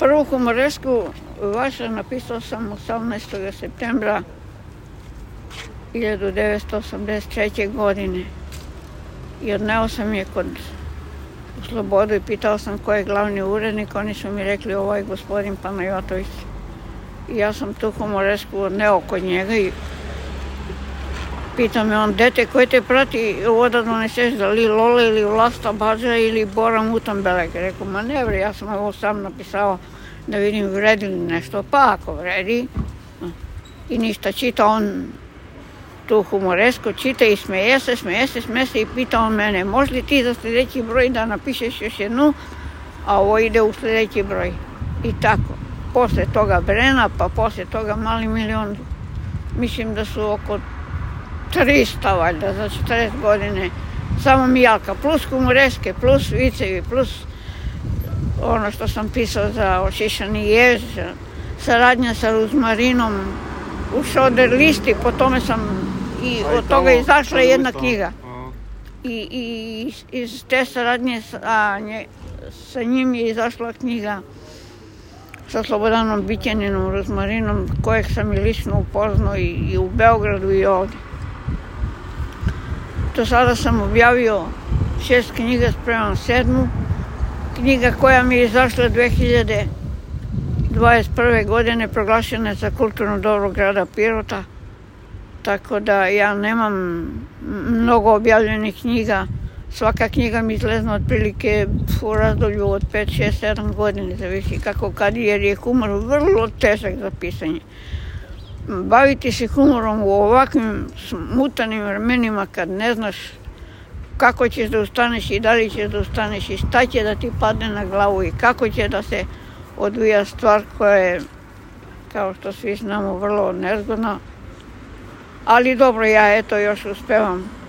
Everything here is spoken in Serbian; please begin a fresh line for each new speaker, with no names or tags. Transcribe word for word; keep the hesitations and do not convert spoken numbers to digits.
Prvu humoresku vaša napisao sam osamnaestog septembra hiljadu devetsto osamdeset treće. godine i odneo sam je kod u Slobodu i pitao sam ko je glavni urednik. Oni su mi rekli ovo je gospodin Panajotović. I ja sam tu humoresku odneo kod njega i pitao me on, dete, koji te prati ovo da doneseš, da li Lola ili Vlasta Badža ili Bora Mutambelek? Rekao, ma ne bre, ja sam ovo sam napisao da vidim vredi li nešto, pa ako vredi. I ništa, čita on tu humoresku, čita i smeje se, smeje se, smeje se i pita on mene, može li ti za sljedeći broj da napišeš još jednu, a ovo ide u sljedeći broj. I tako, posle toga Brena, pa posle toga Mali milion, mislim da su oko trista valjda za četrdeset godine, samo Mijalka, plus humoreske, plus vicevi, plus ono što sam pisao za Ošišani jež, saradnja sa Ruzmarinom, u Šoder listi, po tome sam i od toga izašla jedna knjiga. I, i iz te saradnje sa, nje, sa njim je izašla knjiga sa Slobodanom Bićaninom, Ruzmarinom, kojeg sam i lično upoznao i, i u Beogradu i ovdje. Do sada sam objavio šest knjiga, spremam sedmu. Knjiga koja mi je izašla dve hiljade dvadeset prve. godine proglašena je za kulturno dobro grada Pirota. Tako da ja nemam mnogo objavljenih knjiga. Svaka knjiga mi izlazna otprilike u razdoblju od pet, šest, sedam godine, zavisi kako kad, jer je humor vrlo težak za pisanje. Baviti se humorom u ovakvim smutanim vremenima kad ne znaš kako ćeš da ustaneš i da li ćeš da ustaneš i šta će da ti padne na glavu i kako će da se odvija stvar koja je, kao što svi znamo, vrlo nezgodna. Ali dobro, ja eto još uspevam